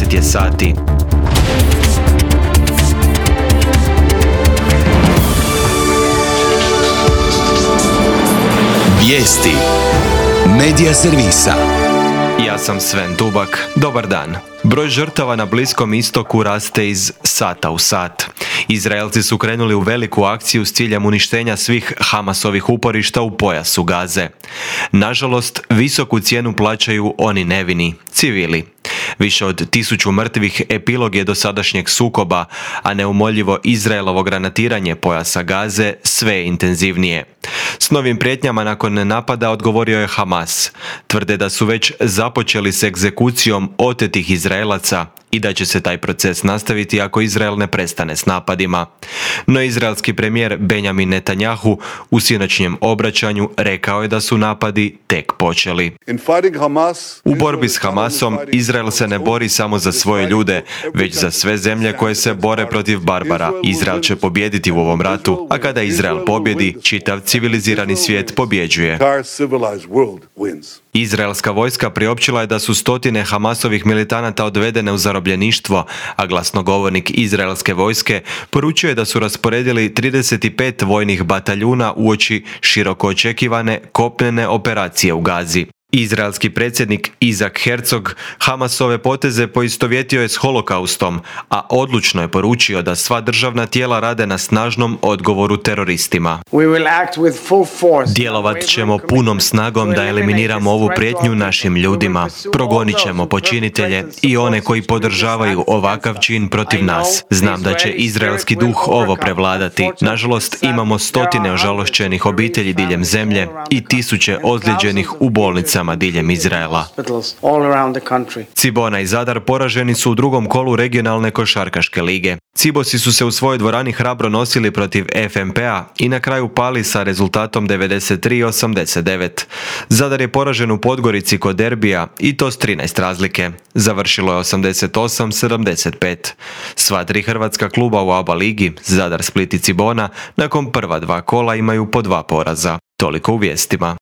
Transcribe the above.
20 je sati. Vijesti Medija servisa. Ja sam Sven Dubak. Dobar dan. Broj žrtava na Bliskom istoku raste iz sata u sat. Izraelci su krenuli u veliku akciju s ciljem uništenja svih Hamasovih uporišta u pojasu Gaze. Nažalost, visoku cijenu plaćaju oni nevini, civili. Više od 1000 mrtvih epilog je dosadašnjeg sukoba, a neumoljivo Izraelovo granatiranje pojasa Gaze sve je intenzivnije. S novim prijetnjama nakon napada odgovorio je Hamas. Tvrde da su već započeli s egzekucijom otetih Izraelaca i da će se taj proces nastaviti ako Izrael ne prestane s napadima. No izraelski premijer Benjamin Netanjahu u sinoćnjem obraćanju rekao je da su napadi tek počeli. U borbi s Hamasom Izrael se ne bori samo za svoje ljude, već za sve zemlje koje se bore protiv barbara. Izrael će pobijediti u ovom ratu, a kada Izrael pobjedi, čitav civilizirani svijet pobjeđuje. Izraelska vojska priopćila je da su stotine Hamasovih militanata odvedene u zarobljeništvo, a glasnogovornik izraelske vojske poručio je da su rasporedili 35 vojnih bataljuna uoči široko očekivane kopnene operacije u Gazi. Izraelski predsjednik Izak Herzog Hamasove poteze poistovjetio je s holokaustom, a odlučno je poručio da sva državna tijela rade na snažnom odgovoru teroristima. Djelovat ćemo punom snagom da eliminiramo ovu prijetnju našim ljudima. Progonit ćemo počinitelje i one koji podržavaju ovakav čin protiv nas. Znam da će izraelski duh ovo prevladati. Nažalost, imamo stotine ožalošćenih obitelji diljem zemlje i tisuće ozlijeđenih u bolnicama diljem Izraela. Cibona i Zadar poraženi su u drugom kolu regionalne košarkaške lige. Cibosi su se u svojoj dvorani hrabro nosili protiv FNP-a i na kraju pali sa rezultatom 93-89. Zadar je poražen u Podgorici kod derbija i to s 13 razlike. Završilo je 88-75. Sva tri hrvatska kluba u ABA ligi, Zadar, Split i Cibona, nakon prva dva kola imaju po 2 poraza. Toliko u vijestima.